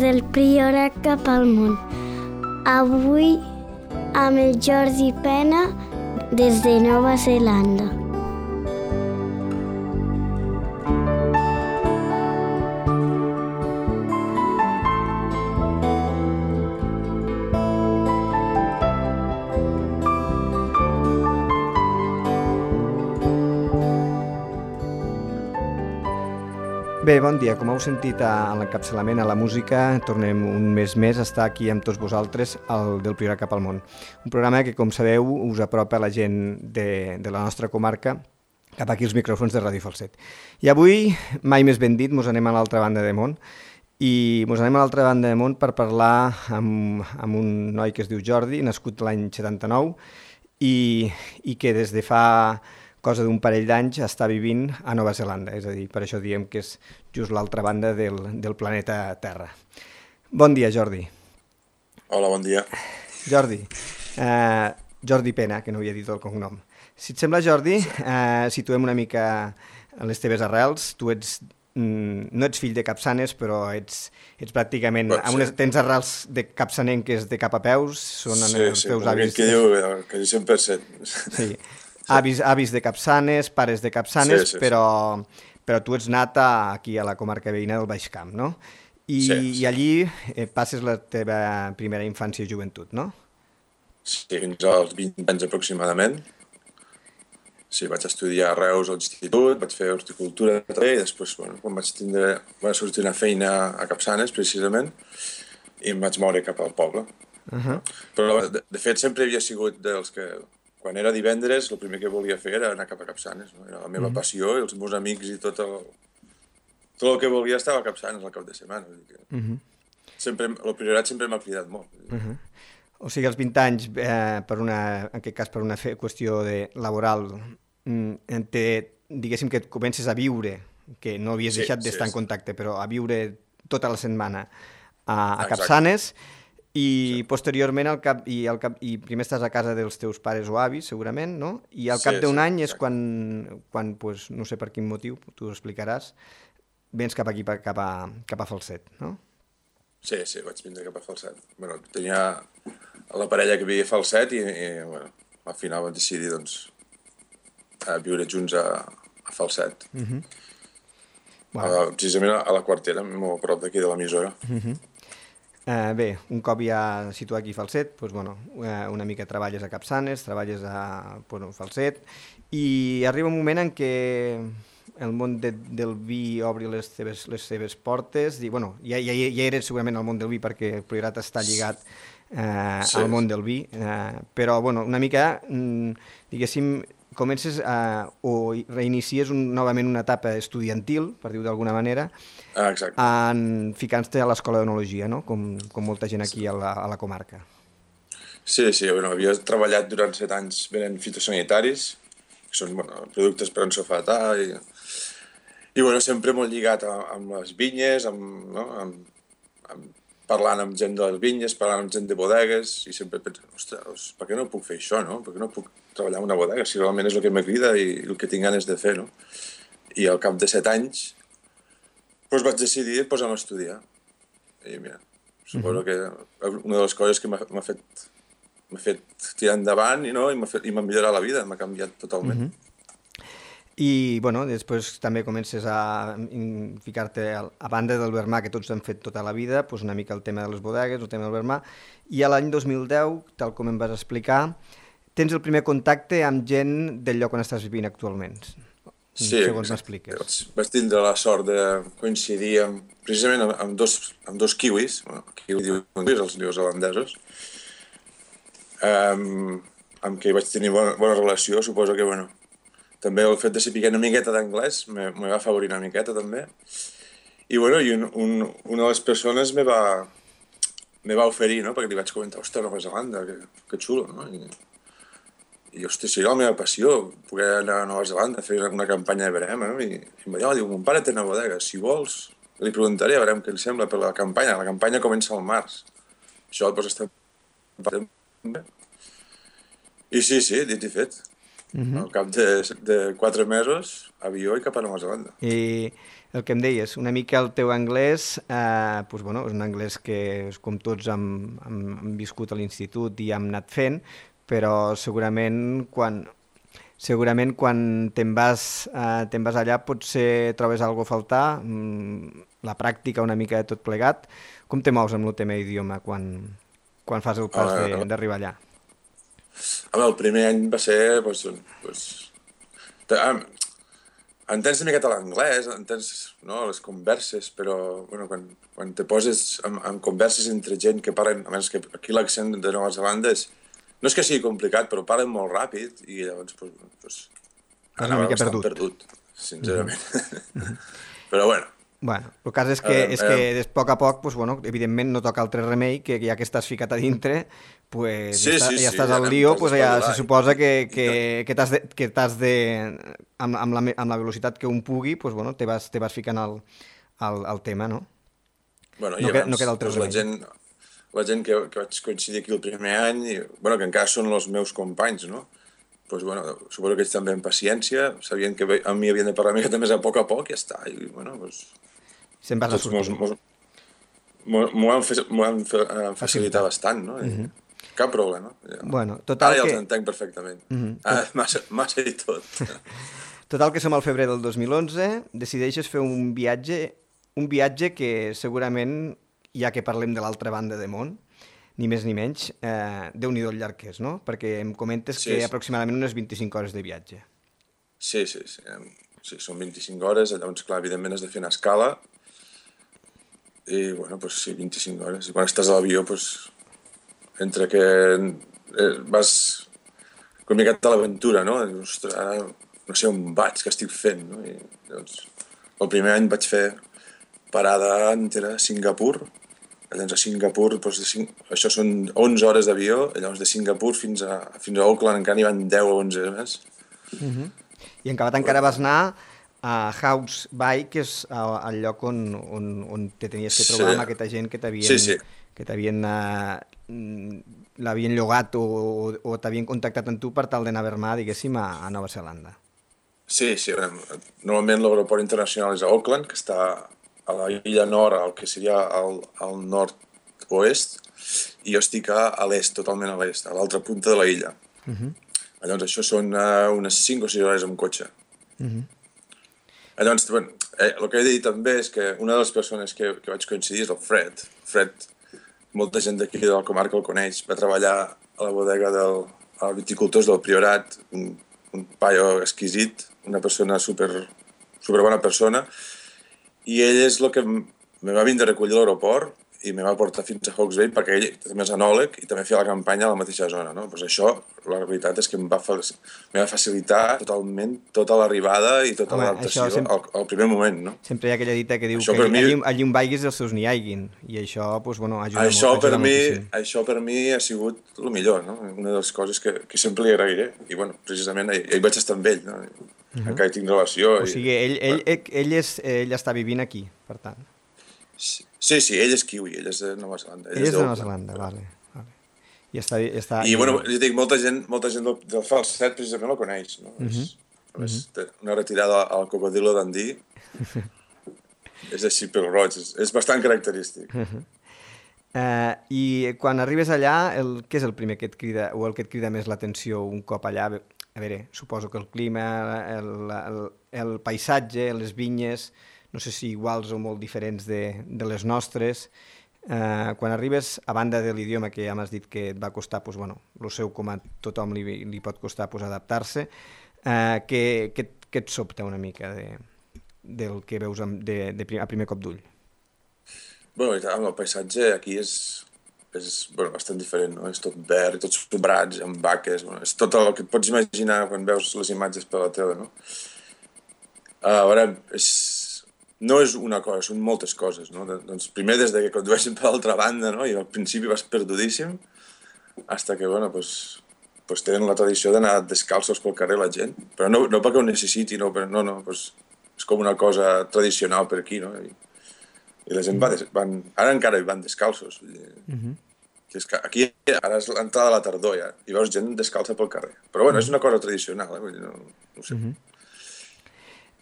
del Priorat cap al món. Avui amb el Jordi Pena des de Nova Zelanda. Bé, bon dia. Com heu sentit a l'encapçalament, a la música, tornem un mes més a estar aquí amb tots vosaltres al del Priorat cap al món. Un programa que, com sabeu, us apropa a la gent de la nostra comarca cap aquí els micròfons de Ràdio Falset. I avui, mai més ben dit, mos anem a l'altra banda de món i mos anem a l'altra banda de món per parlar amb un noi que es diu Jordi, nascut l'any 79 i que des de fa cosa d'un parell d'anys està vivint a Nova Zelanda, és a dir, per això diem que és just l'altra banda del planeta Terra. Bon dia, Jordi. Hola, bon dia. Jordi, Jordi Pena, que no havia dit el cognom. Si et sembla, Jordi, situem una mica les teves arrels. Tu no ets fill de capçanes, però ets pràcticament... Tens arrels de capçanenques de cap a peus, són els teus avis... Sí, que diu que 100%. Sí. Avis de capçanes, pares de capçanes, sí. Però tu ets nat aquí a la comarca veïna del Baix Camp, no? I allí passes la teva primera infància i joventut, no? Sí, fins als 20 anys aproximadament. Sí, vaig estudiar a Reus a l'institut, vaig fer horticultura també, i després, quan vaig sortir una feina a Capçanes, precisament, i em vaig moure cap al poble. Però, de fet, sempre havia sigut dels que... Quan era divendres, el primer que volia fer era anar cap a Capçanes. No? Era la meva passió i els meus amics i tot el que volia estava a Capçanes al cap de setmana. El Priorat sempre m'ha cridat molt. O sigui, als 20 anys, en aquest cas per una qüestió laboral, diguéssim que et comences a viure, que no havies deixat d'estar en contacte, però a viure tota la setmana a Capçanes. I posteriorment, i primer estàs a casa dels teus pares o avis, segurament, no? I al cap d'un any és quan no sé per quin motiu, tu ho explicaràs, vens cap aquí, cap a Falset, no? Sí, vaig vindre cap a Falset. Tenia la parella que vivia a Falset i al final vam decidir, viure junts a Falset. Precisament a la Quartera, molt a prop d'aquí de l'emissora. Bé, un cop ja situat aquí a Falset, una mica treballes a Capçanes, treballes a Falset, i arriba un moment en què el món del vi obri les seves portes, i ja eres segurament al món del vi perquè el Priorat està lligat al món del vi, però una mica, diguéssim, comences o reinicies novament una etapa estudiantil, per dir-ho d'alguna manera, ficant-te a l'escola d'enologia, no? Com molta gent aquí a la comarca. Sí, havia treballat durant 7 anys venent fitosanitaris, que són productes per ensofatar, i sempre molt lligat amb les vinyes, parlant amb gent de les vinyes, parlant amb gent de bodegues, i sempre penso, ostres, per què no puc fer això, no? Per què no puc treballar en una bodega, si realment és el que m'agrada i el que tinc ganes de fer, no? I al cap de 7 anys vaig decidir posar-me a estudiar. I mira, suposo que una de les coses que m'ha fet tirar endavant i m'ha millorat la vida, m'ha canviat totalment. I, després també comences a ficar-te a banda del vermà, que tots hem fet tota la vida, una mica el tema de les bodegues, el tema del vermà, i a l'any 2010, tal com em vas explicar, tens el primer contacte amb gent del lloc on estàs vivint actualment. Sí, segons m'expliques. Vaig tindre la sort de coincidir precisament amb dos kiwis, els neozelandesos, amb qui vaig tenir bona relació. Suposo que, també el fet de saber una miqueta d'anglès me va afavorir una miqueta, també. I, una de les persones me va oferir, no?, perquè li vaig comentar, ostres, Nova Zelanda, que xulo, no? I, hòstia, seria la meva passió, poder anar a Nova Zelanda a fer una campanya de verema, no? I em va dir, mon pare té una bodega, si vols, li preguntaré, a veure què li sembla per la campanya. La campanya comença al març. Això, estem... I sí, dit i fet. Al cap de 4 mesos, avió i cap a Nova Zelanda. I el que em deies, una mica el teu anglès, doncs, bueno, és un anglès que, com tots, hem viscut a l'institut i hem anat fent, però segurament quan te'n vas allà potser trobes alguna cosa a faltar, la pràctica una mica de tot plegat. Com te mous amb el tema idioma quan fas el pas d'arribar allà? El primer any va ser... entens una miqueta l'anglès, entens les converses, però quan te poses en converses entre gent que parlen... A més, que aquí l'accent de Nova Zelanda no és que sigui complicat, però parlen molt ràpid i llavors anava bastant perdut, sincerament. Però Bueno, el cas és que a poc a poc, evidentment no toca altre remei, que ja que estàs ficat a dintre, ja estàs al lío, ja se suposa que t'has de, amb la velocitat que un pugui, te vas ficant al tema, no? No queda altre remei. La gent que vaig coincidir aquí el primer any, que encara són els meus companys, no? Suposo que ells també amb paciència, sabien que a mi havien de parlar una mica més a poc i ja està. I, se'n vas a sortir. M'ho han facilitat bastant, no? Cap problema. Total ara ja els entenc perfectament. Massa i tot. Total que som al febrer del 2011, decideixes fer un viatge que segurament, ja que parlem de l'altra banda de món, ni més ni menys, Déu-n'hi-do el llarg que és, no? Perquè em comentes que aproximadament unes 25 hores de viatge. Sí, són 25 hores, llavors, clar, evidentment has de fer una escala, i, 25 hores. I quan estàs a l'avió, entre que vas una miqueta a l'aventura, no? Ostres, ara no sé on vaig, què estic fent, no? I, llavors, el primer any vaig fer parada entera a Singapur. Llavors a Singapur, això són 11 hores d'avió, llavors de Singapur fins a Auckland encara n'hi van 10 o 11 més. I en acabat encara vas anar a Hawke's Bay, que és el lloc on te tenies que trobar amb aquesta gent que l'havien llogat o t'havien contactat amb tu per tal d'anar a Vermar, diguéssim, a Nova Zelanda. Sí. Normalment l'aeroport internacional és a Auckland, que està a la illa nord, el que seria al nord-oest, i jo estic a l'est, totalment a l'est, a l'altra punta de la illa. Llavors això són unes 5 o 6 hores amb cotxe. Llavors, el que he de dir també és que una de les persones que vaig coincidir és el Fred. Fred, molta gent d'aquí de la comarca el coneix, va treballar a la bodega dels viticultors del Priorat, un paio exquisit, una persona super bona persona, i ell és el que me va vindre a recollir a l'aeroport i me va portar fins a Hawke's Bay perquè ell també és anòleg i també feia la campanya a la mateixa zona, no? Pues això, la veritat és que me va facilitar totalment tota l'arribada i tota l'adaptació al primer moment, no? Sempre hi ha aquella dita que diu que allí on vaiguis els seus n'hi haiguin, i això, ajuda moltíssim. Això per mi ha sigut el millor, no? Una de les coses que sempre li agrairé. I, precisament, ell vaig estar amb ell, no? Encara hi tinc relació. O sigui, ell està vivint aquí, per tant. Sí, ell és kiwi, ell és de Nova Zelanda. Ell és de Nova Zelanda, vale. I està... I, jo dic, molta gent del Falset precisament la coneix, no? Una retirada al cocodrilo d'Andí és així pel roig, és bastant característic. I quan arribes allà, què és el primer que et crida, o el que et crida més l'atenció un cop allà? A veure, suposo que el clima, el paisatge, les vinyes, no sé si iguals o molt diferents de les nostres. Quan arribes, a banda de l'idioma que ja m'has dit que et va costar, el seu com a tothom li pot costar adaptar-se, què et sobta una mica del que veus a primer cop d'ull? El paisatge aquí és bastant diferent, no? És tot verd, tots sobrats, amb vaques, és tot el que et pots imaginar quan veus les imatges per la tele, no? A veure, no és una cosa, són moltes coses, no? Doncs primer des que condueixen per l'altra banda, no? I al principi vas perdudíssim, fins que, tenen la tradició d'anar descalços pel carrer la gent, però no perquè ho necessiti, és com una cosa tradicional per aquí, no? I la gent ara encara hi van descalços. Que és que aquí ara és l'entrada de la tardor, ja, i veus gent descalça pel carrer. Però bueno, és una cosa tradicional, vull dir, no ho sé.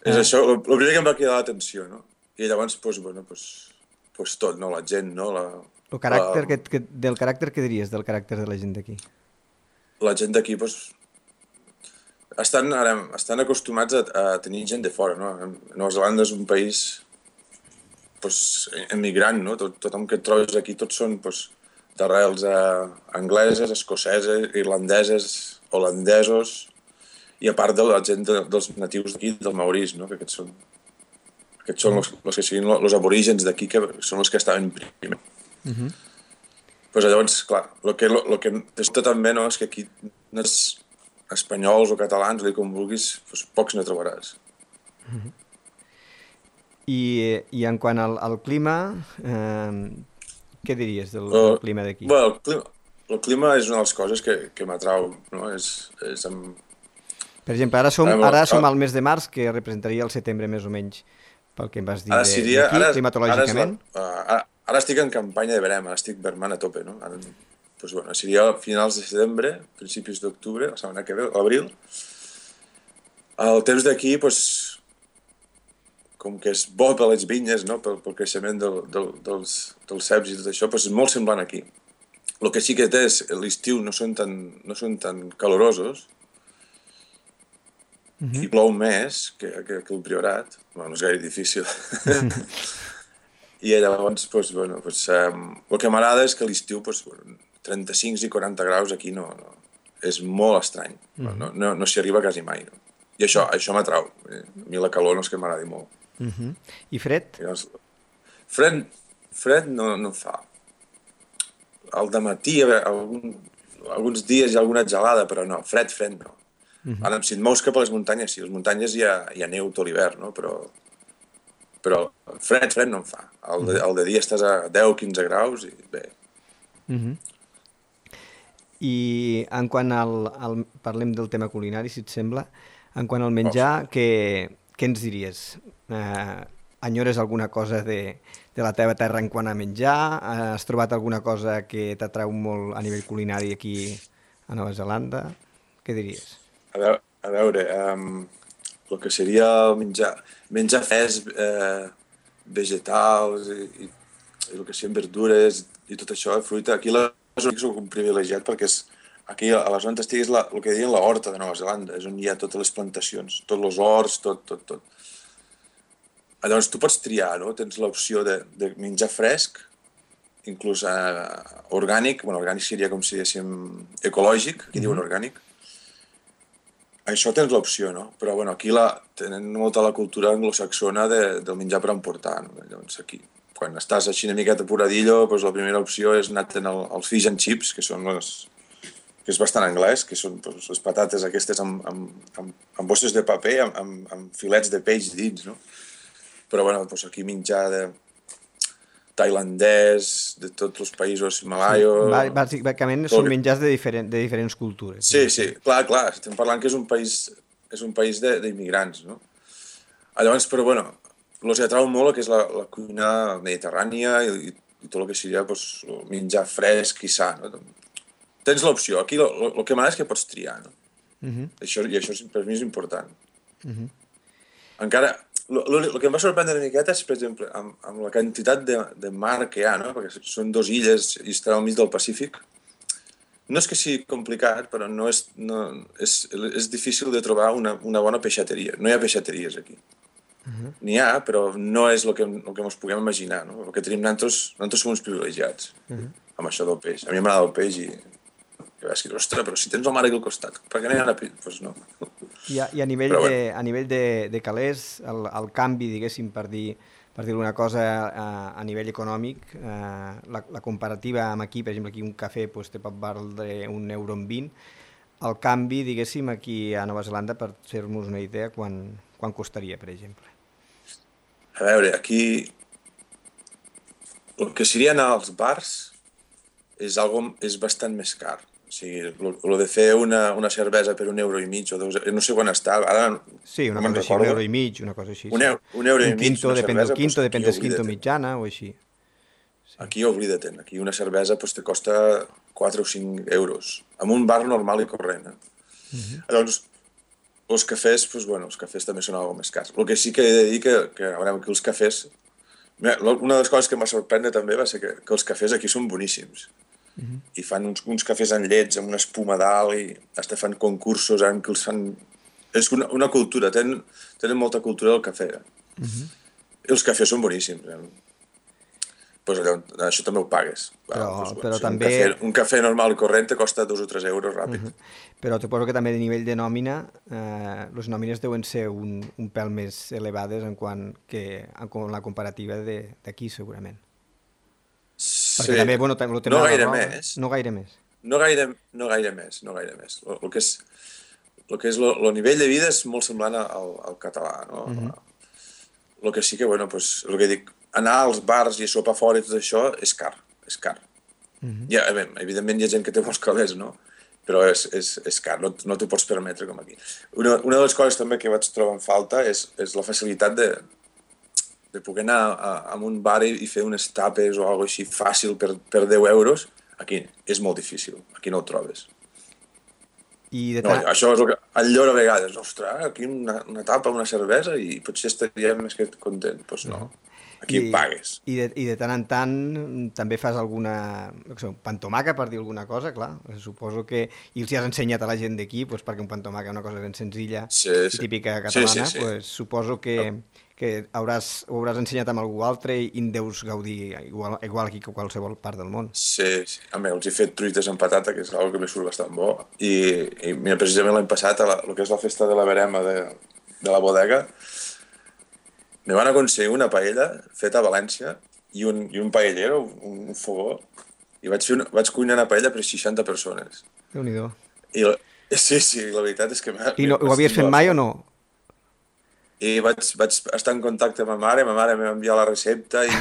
És això, el primer que em va cridar l'atenció, no? I llavors, doncs tot, no? La gent, no? El caràcter, del caràcter què diries, del caràcter de la gent d'aquí? La gent d'aquí, doncs, estan acostumats a tenir gent de fora, no? Nova Zelanda és un país emigrant, no? Tothom que et trobes aquí, tots són d'arrels angleses, escoceses, irlandeses, holandesos, i a part de la gent dels natius d'aquí, del Maurís, no? Que aquests són els que siguin els aborígens d'aquí, que són els que estaven primer. Pues llavors, clar, el que t'està també, no? És que aquí espanyols o catalans, o com vulguis, pocs no trobaràs. I en quant al clima, què diries del clima d'aquí? Bueno, el clima és una de les coses que m'atrau, no? Per exemple, ara som al mes de març, que representaria el setembre més o menys, pel que em vas dir d'aquí, climatològicament. Ara estic en campanya de verema, ara estic vermant a tope, no? Seria a finals de setembre, principis d'octubre, la setmana que ve, l'abril. El temps d'aquí, com que és bo per les vinyes, no? Pel creixement dels ceps i tot això, és molt semblant aquí. El que sí que té és, l'estiu no són tan calorosos, i plou més que el Priorat. No és gaire difícil. I llavors, el que m'agrada és que a l'estiu 35 i 40 graus aquí no és molt estrany. No s'hi arriba quasi mai. No? I això m'atrau. A mi la calor no és que m'agradi molt. I fred? Fred no em fa. Al dematí, alguns dies hi ha alguna gelada, però no, fred no. Ara, si et mous cap a les muntanyes, sí, a les muntanyes hi ha neu tot l'hivern, no? Però fred no em fa. El de dia estàs a 10-15 graus i bé. I en quant parlem del tema culinari, si et sembla, en quant al menjar, què ens diries? Enyores alguna cosa de la teva terra en quant a menjar? Has trobat alguna cosa que t'atrau molt a nivell culinari aquí a Nova Zelanda? Què diries? A veure, el que seria menjar fresc, vegetals i el que siguin verdures i tot això, fruita. Aquí la zona soc un privilegiat perquè aquí a la zona on estiguis el que diuen la horta de Nova Zelanda, és on hi ha totes les plantacions, tots els horts, tot. Llavors tu pots triar, no? Tens l'opció de menjar fresc, inclús orgànic, orgànic seria com si diguéssim ecològic, aquí diuen orgànic. Això tens l'opció, no? Però aquí tenen molta la cultura anglosaxona del menjar per emportar. No? Llavors aquí, quan estàs així una miqueta apuradillo, la primera opció és anar als fish and chips, que és bastant anglès, que són les patates aquestes amb bosses de paper, amb filets de peix dins, no? Però aquí menjar tailandès, de tots els països malaios... Bàsicament són menjars de diferents cultures. Sí, clar, estem parlant que és un país d'immigrants, no? Llavors, però els atrau molt el que és la cuina mediterrània i tot el que seria menjar fresc i sa, no? Tens l'opció. Aquí el que m'agrada és que pots triar, no? Això per mi és important. Encara... El que em va sorprendre una miqueta és, per exemple, amb la quantitat de mar que hi ha, no? Perquè són 2 illes i estan al mig del Pacífic. No és que sigui complicat, però és difícil de trobar una bona peixateria. No hi ha peixateries aquí. N'hi ha, però no és el que ens puguem imaginar. No? El que tenim nosaltres som uns privilegiats amb això del peix. A mi m'agrada el peix i vaig dir, ostres, però si tens el mar aquí al costat, per què no hi ha una peix? Doncs no. I a nivell de calés, el canvi, diguéssim, per dir alguna cosa a nivell econòmic, la comparativa amb aquí, per exemple, aquí un cafè te pot valdre €1,20, el canvi, diguéssim, aquí a Nova Zelanda, per fer-nos una idea, quan costaria, per exemple? A veure, aquí el que seria anar als bars és bastant més car. O sigui, el de fer una cervesa per €1,50 o €2, no sé quan està, ara... Sí, una cosa així, €1,50, una cosa així. €1,50 una cervesa... Depèn del quinto mitjana o així. Aquí oblida-te'n, aquí una cervesa pues, te costa 4 o 5 euros, en un bar normal i corrent. Llavors, els cafès, pues, bueno, els cafès també són algo més cars. El que sí que he de dir que a veure, aquí els cafès... Mira, una de les coses que em va sorprendre també va ser que els cafès aquí són boníssims. I fan uns cafès amb llets, amb una espuma dalt, i hasta fan concursos en què els fan... És una cultura, tenen molta cultura del cafè. I els cafès són boníssims. Pues allò, això també ho pagues. Però també... Un cafè normal i corrent te costa 2 o 3 euros ràpid. Però te poso que també de nivell de nòmina, les nòmines deuen ser un pèl més elevades en la comparativa d'aquí, segurament. Sí. Perquè també, bueno, no gaire més. No gaire més. No gaire més. El que és el nivell de vida és molt semblant al català, no? El que sí que, bueno, pues, el que dic, anar als bars i a sopar fora i tot això és car. Ja, evidentment hi ha gent que té molts calés, no? Però és car, no t'ho pots permetre com aquí. Una de les coses també que vaig trobar en falta és la facilitat de poder anar a un bar i fer unes tapes o alguna cosa així fàcil per 10 euros. Aquí és molt difícil, aquí no ho trobes. Això és el que enllora a vegades. Ostres, aquí una tapa, una cervesa i potser estaríem més que content. Doncs no, aquí pagues. I de tant en tant també fas alguna pantomaca, per dir alguna cosa, clar. Suposo que... I els has ensenyat a la gent d'aquí, perquè un pantomaca és una cosa ben senzilla i típica catalana, suposo que ho hauràs ensenyat amb algú altre i en deus gaudir igual aquí que a qualsevol part del món. Sí. A mi els he fet truites amb patata, que és una cosa que m'he surt bastant bo. I mira, precisament l'any passat, el que és la festa de la verema de la bodega, me van aconseguir una paella feta a València i un paellero, un fogó, i vaig cuinar una paella per 60 persones. Déu-n'hi-do. Sí, la veritat és que... I ho havies fet mai o no? I vaig estar en contacte amb ma mare em va enviar la recepta i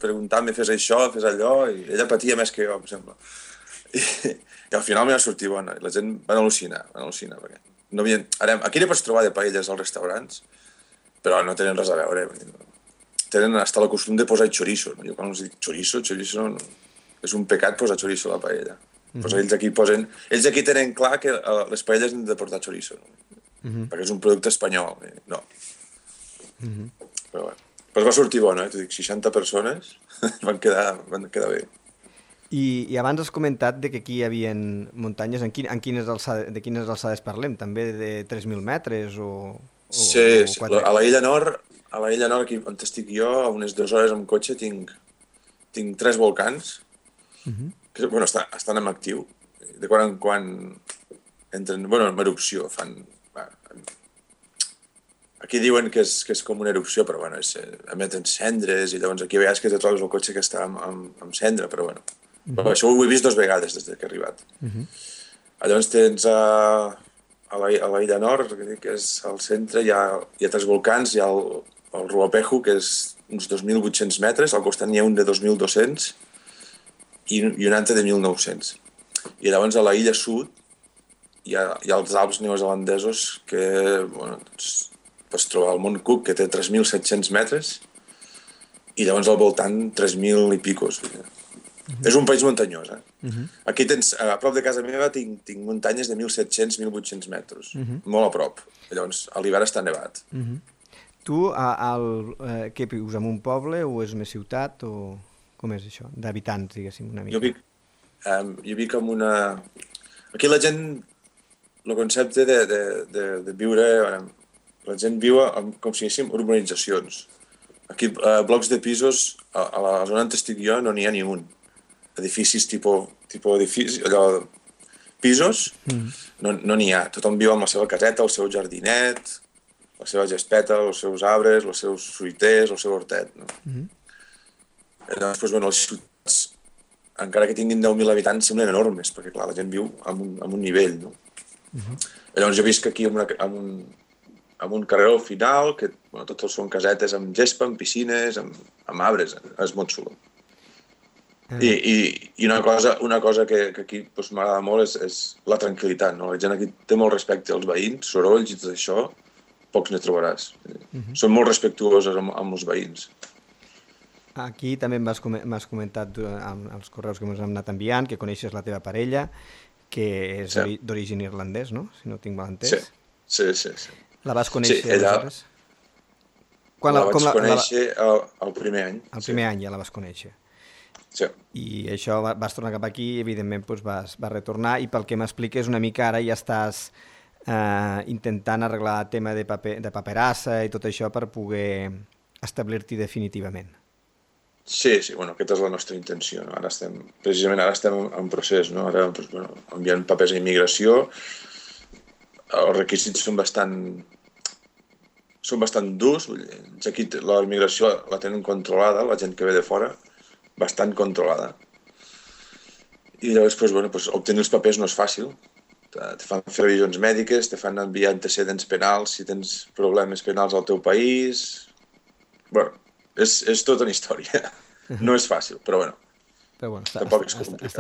preguntant-me fes això, fes allò, i ella patia més que jo, em sembla. I al final m'hi va sortir bona, i la gent van al·lucinar, perquè no havien... Ara, aquí ne pots trobar de paelles als restaurants, però no tenen res a veure. Tenen hasta el costum de posar chorizo. Jo quan els dic chorizo és un pecat posar chorizo a la paella. Pues ells aquí tenen clar que les paelles han de portar chorizo, perquè és un producte espanyol. No. Però va sortir bona, t'ho dic, 60 persones van quedar bé. I abans has comentat que aquí hi havia muntanyes. De quines alçades parlem? També de 3.000 metres o sí, a l'Illa Nord, aquí on estic jo, a unes 2 hores amb cotxe, tinc 3 volcans que estan en actiu. De quan en quan entren, en erupció, aquí diuen que és com una erupció, però emeten cendres, i llavors aquí a vegades que te trobes el cotxe que està amb cendra, però això ho he vist 2 vegades des que he arribat. Llavors tens a l'Illa Nord, que és al centre, hi ha 3 volcans, hi ha el Ruapehu, que és uns 2.800 metres, al costat n'hi ha un de 2.200 i un altre de 1.900. I llavors a l'illa sud hi ha els Alps neozelandesos que pots trobar el Mont Cook, que té 3.700 metres, i llavors al voltant 3.000 i picos. És un país muntanyós. Aquí a prop de casa meva tinc muntanyes de 1.700-1.800 metres, molt a prop. Llavors a l'hivern està nevat. Tu, què vius, en un poble o és una ciutat, o com és això, d'habitants, diguéssim, una mica? Jo vic en una... Aquí la gent, el concepte de viure... La gent viu com si diguéssim urbanitzacions. Aquí, blocs de pisos, a la zona on estic jo no n'hi ha ni un. Edificis tipus edificis, allò, pisos, no n'hi ha. Tothom viu amb la seva caseta, el seu jardinet, la seva gespeta, els seus arbres, els seus fruiters, el seu hortet. Llavors, les ciutats, encara que tinguin 10.000 habitants, semblen enormes, perquè clar, la gent viu amb un nivell. Llavors jo visc aquí amb un carreró final, que tots són casetes amb gespa, amb piscines, amb arbres, és molt xulo. I una cosa que aquí m'agrada molt és la tranquil·litat. La gent aquí té molt respecte als veïns, sorolls i tot això, pocs ne trobaràs. Són molt respectuosos amb els veïns. Aquí també m'has comentat amb els correus que m'has anat enviant que coneixes la teva parella, que és d'origen irlandès, no? Si no tinc mal entès. Sí. La vas conèixer ella, aleshores? la vaig conèixer el primer any. El primer any ja la vas conèixer. Sí. I això vas tornar cap aquí i evidentment doncs, vas retornar i pel que m'expliques una mica ara ja estàs intentant arreglar el tema de paperassa i tot això per poder establir-t'hi definitivament. Sí, bueno, aquesta és la nostra intenció. No? Precisament ara estem en procés, no? Ara enviant papers a immigració. Els requisits són bastant durs. Aquí la immigració la tenen controlada, la gent que ve de fora, bastant controlada. I llavors, obtenir els papers no és fàcil. Te fan fer revisions mèdiques, te fan enviar antecedents penals, si tens problemes penals al teu país... Bueno, és tota una història. No és fàcil, però tampoc és complicat.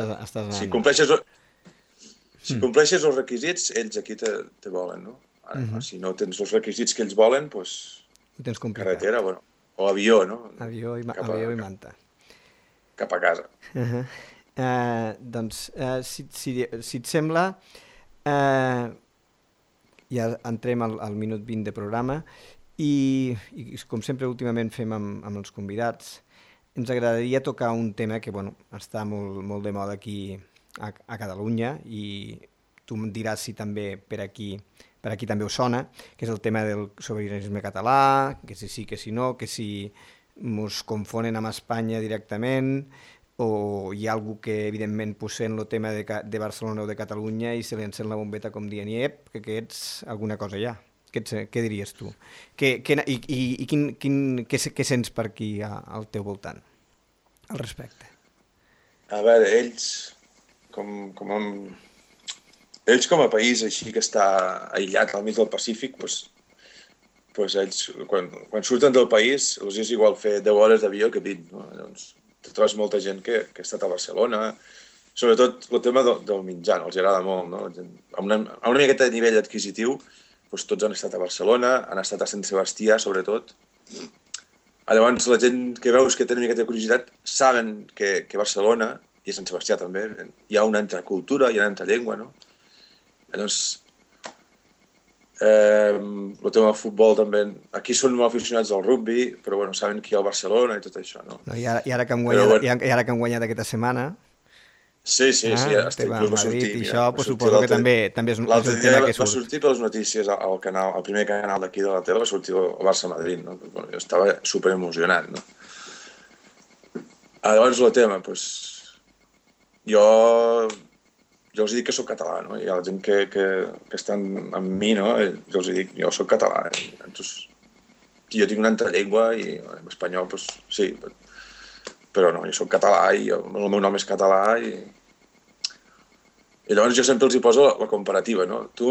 Si compleixes els requisits, ells aquí te volen, no? Ara, si no tens els requisits que ells volen, doncs carretera, o avió, no? Avió i manta. Cap a casa. Doncs, si et sembla, ja entrem al minut 20 de programa i com sempre últimament fem amb els convidats, ens agradaria tocar un tema que està molt de moda aquí a Catalunya i tu em diràs si també per aquí també us sona, que és el tema del sobiranisme català, que si sí, que si no, que si ens confonen amb Espanya directament o hi ha algú que evidentment sent el tema de Barcelona o de Catalunya i se li encén la bombeta com dient que ets alguna cosa ja. Què diries tu? I què sents per aquí al teu voltant al respecte? A veure, ells com a país així que està aïllat al mig del Pacífic, doncs ells quan surten del país els és igual fer 10 hores d'avió que 20. No? Llavors, te trobes molta gent que ha estat a Barcelona, sobretot el tema del menjar, els agrada molt, no? A una miqueta de nivell adquisitiu, doncs tots han estat a Barcelona, han estat a Sant Sebastià, sobretot. Llavors, la gent que veus que té una miqueta de curiositat saben que Barcelona, i a Sant Sebastià també, hi ha una altra cultura, hi ha una altra llengua, no? Llavors, el tema del futbol també... Aquí són molt aficionats al rugby, però saben que hi ha el Barcelona i tot això, no? I ara que han guanyat aquesta setmana... Sí, ja estic va sortir. I això suposo que també és un tema que surt. Va sortir per les notícies al primer canal d'aquí de la tele, va sortir el Barça-Madrid, no? Jo estava superemocionat, no? Llavors el tema, jo els dic que soc català, no? Hi ha la gent que estan amb mi, no? Jo els dic, jo soc català. Entonces, jo tinc una altra llengua i en espanyol, sí, però no, jo soc català i el meu nom és català i llavors jo sempre els hi poso la comparativa, no? Tu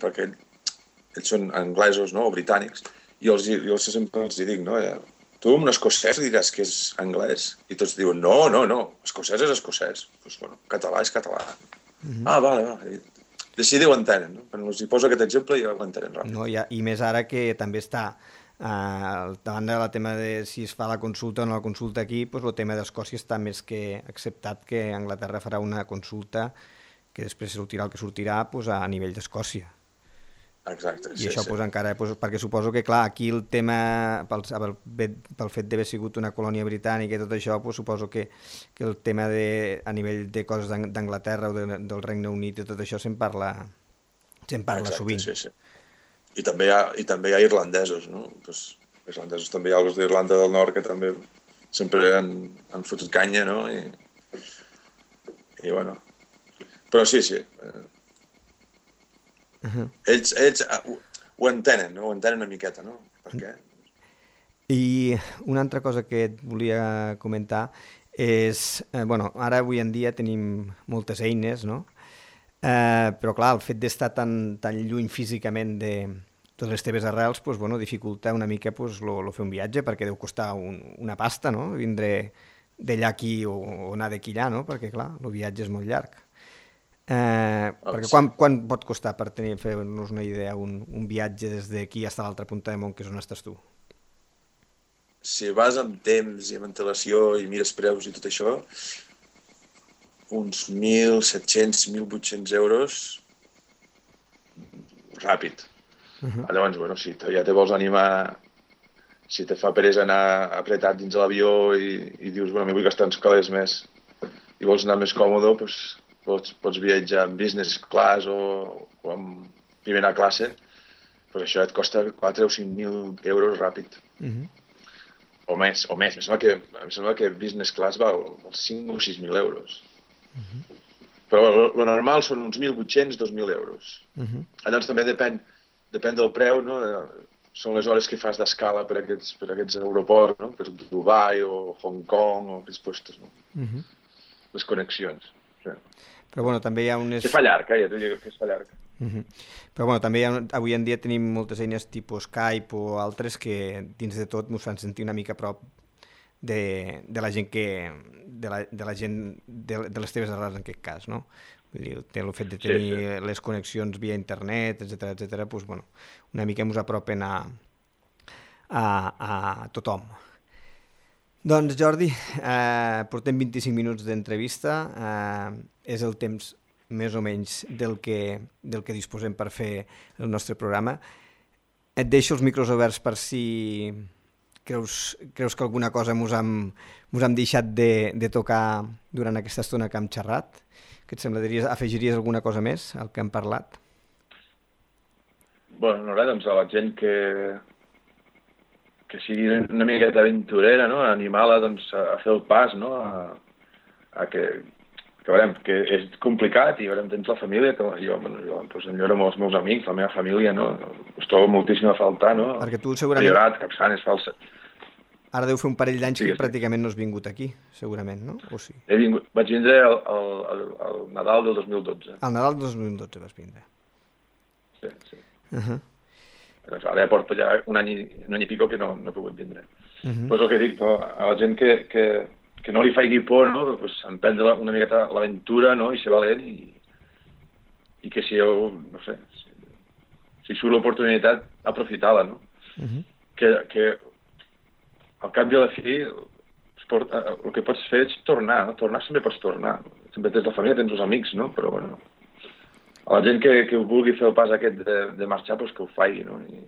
perquè ells són anglesos, no? O britànics, i jo sempre els dic, no? Tu amb un escocès diràs que és anglès i tots diuen, no, escocès és escocès. Doncs català és català. Vale. Així ho entenen, no? Quan els hi poso aquest exemple ja ho entenen ràpid. No, i més ara que també està davant del tema de si es fa la consulta o no la consulta aquí, el tema d'Escòcia està més que acceptat que Anglaterra farà una consulta que després sortirà el que sortirà a nivell d'Escòcia. Exacte, I això encara, perquè suposo que clar, aquí el tema, pel fet d'haver sigut una colònia britànica i tot això, suposo que el tema a nivell de coses d'Anglaterra o del Regne Unit i tot això se'n parla sovint. Sí. I també hi ha irlandesos, no? Irlandesos també hi ha els d'Irlanda del Nord que també sempre han fotut canya, no? I bueno... Però sí. Ells ho entenen, no? Ho entenen una miqueta, no? Per què? I una altra cosa que et volia comentar és... ara avui en dia tenim moltes eines, no? Però clar, el fet d'estar tan lluny físicament de totes les teves arrels dificulta una mica el fer un viatge, perquè deu costar una pasta, no? Vindre d'allà aquí o anar d'aquí allà, no? Perquè clar, el viatge és molt llarg. Perquè quan pot costar per fer-nos una idea un viatge des d'aquí fins a l'altra punta del món, que és on estàs tu? si vas amb temps i amb antelació i mires preus i tot això, uns 1.700, 1.800 euros ràpid. Llavors, bueno, si ja te vols animar, si te fa peresa anar apretat dins de l'avió i dius, bueno, m'hi vull gastar uns calés més i vols anar més còmode, doncs pots viatjar en business class o en primera classe, doncs això et costa 4 o 5.000 euros ràpid. O més. Em sembla que business class val 5 o 6.000 euros. Però lo normal són uns 1.800, 2.000 euros. Llavors també depèn del preu, no? Són les hores que fas d'escala per aquests aeroports, no? Per Dubai o Hong Kong o aquests puestos, no? Les connexions. Sí. Però bueno, també hi ha unes... Que fa llarg, ja t'ho dic que es fa llarg. Però bueno, també avui en dia tenim moltes eines tipus Skype o altres que dins de tot ens fan sentir una mica a prop de la gent de la gent de les teves arrels en aquest cas, no? Vull dir, el fet de tenir les connexions via internet, etcètera, doncs, bueno, una mica ens apropen a tothom. Doncs Jordi, portem 25 minuts d'entrevista, és el temps més o menys del que disposem per fer el nostre programa. Et deixo els micros oberts per si creus que alguna cosa mos hem deixat de tocar durant aquesta estona que hem xerrat. Què et sembla? Afegiries alguna cosa més al que hem parlat? Bueno, no res, doncs a la gent que sigui una miqueta aventurera, no? Animar-la doncs, a fer el pas, no? A que veurem, que és complicat i veurem, tens la família, que jo enyoro amb els meus amics, la meva família, no? Us trobo moltíssim a faltar, no? Perquè tu segurament... Llorat, Capçanes, Falset. Ara deu fer un parell d'anys que pràcticament no has vingut aquí, segurament, no? O sí? Vaig vindre al Nadal del 2012. Al Nadal del 2012 vas vindre. Sí. Doncs ara ja porto ja un any i pico que no he pogut vindre. Pues el que dic, no? A la gent que no li faci por, no? Pues emprendre una miqueta l'aventura, no? I ser valent i que si no sé, si surt l'oportunitat, aprofitar-la, no? Que al cap de la fi el que pots fer és tornar, no? Tornar sempre pots tornar. Sempre tens la família, tens els amics, no? Però bueno, a la gent que vulgui fer el pas aquest de marxar, doncs que ho faci, no? I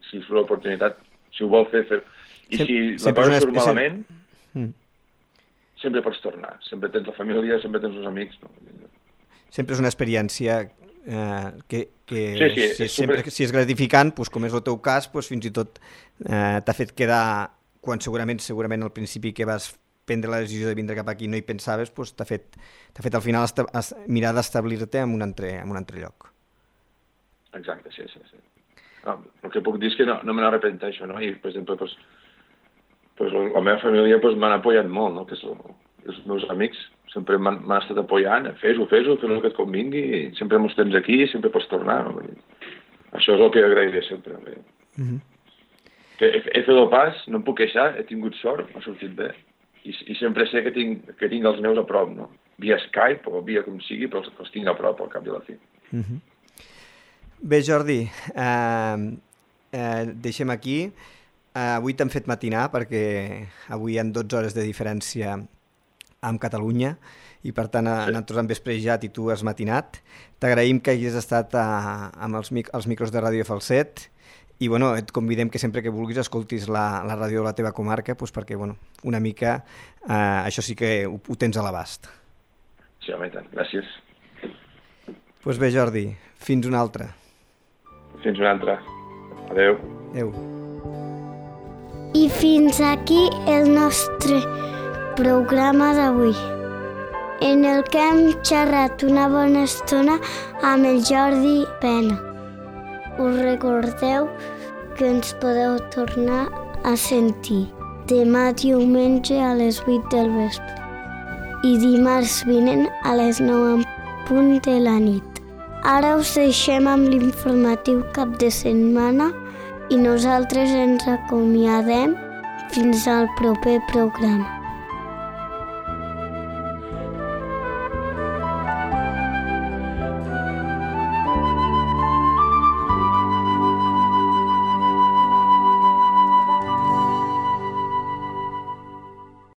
si surt l'oportunitat, si ho vol fer. I si la cosa surt malament, sempre pots tornar. Sempre tens la família, sempre tens els amics, no? Sempre és una experiència que si és gratificant, doncs, com és el teu cas, doncs, fins i tot t'ha fet quedar, quan segurament al principi que vas prendre la decisió de vindre cap aquí no hi pensaves, doncs t'ha fet al final mirar d'establir-te en un altre lloc. Exacte, sí. No, el que puc dir és que no me n'arrepenteixo, no? I, per exemple, la meva família m'han apoyat molt, no? Que els meus amics sempre m'han estat apoyant, fes-ho, fes el que et convingui, sempre mos tens aquí, sempre pots tornar, no? Això és el que agrairé sempre. Que he fet el pas, no em puc queixar, he tingut sort, m'ha sortit bé, i sempre sé que tinc els meus a prop, no? Via Skype o via com sigui, però els tinc a prop al cap de la fi. Bé, Jordi, deixem aquí. Avui t'hem fet matinar perquè avui hi ha 12 hores de diferència amb Catalunya i per tant nosaltres hem vesprejat i tu has matinat. T'agraïm que hagis estat amb els micros de Ràdio Falset i bueno, et convidem que sempre que vulguis escoltis la ràdio de la teva comarca perquè bueno, una mica això sí que ho tens a l'abast. Sí, home, tant. Gràcies. Doncs bé, Jordi, fins una altra. Fins una altra. Adéu. Adéu. I fins aquí el nostre programa d'avui, en el que hem xerrat una bona estona amb el Jordi Pena. Us recordeu que ens podeu tornar a sentir demà diumenge a les 8 del vespre i dimarts vinent a les 9 en punt de la nit. Ara us deixem amb l'informatiu cap de setmana i nosaltres ens acomiadem fins al proper programa.